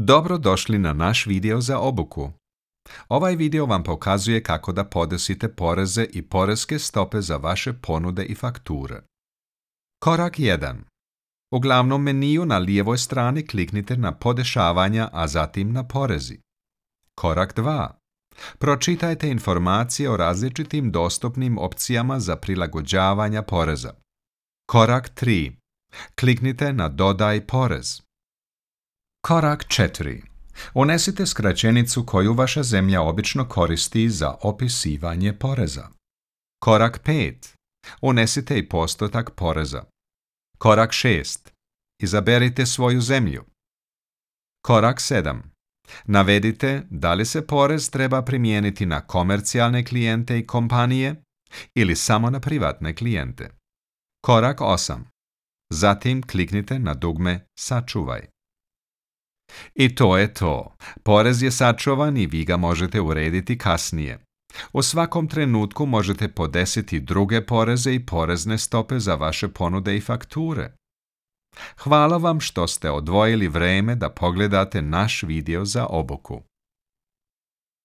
Dobro došli na naš video za obuku. Ovaj video vam pokazuje kako da podesite poreze i poreske stope za vaše ponude i fakture. Korak 1. U glavnom meniju na lijevoj strani kliknite na podešavanja, a zatim na porezi. Korak 2. Pročitajte informacije o različitim dostupnim opcijama za prilagođavanja poreza. Korak 3. Kliknite na Dodaj porez. Korak 4. Unesite skraćenicu koju vaša zemlja obično koristi za opisivanje poreza. Korak 5. Unesite i postotak poreza. Korak 6. Izaberite svoju zemlju. Korak 7. Navedite da li se porez treba primijeniti na komercijalne klijente i kompanije ili samo na privatne klijente. Korak 8. Zatim kliknite na dugme Sačuvaj. I to je to. Porez je sačuvan i vi ga možete urediti kasnije. U svakom trenutku možete podesiti druge poreze i porezne stope za vaše ponude i fakture. Hvala vam što ste odvojili vreme da pogledate naš video za obuku.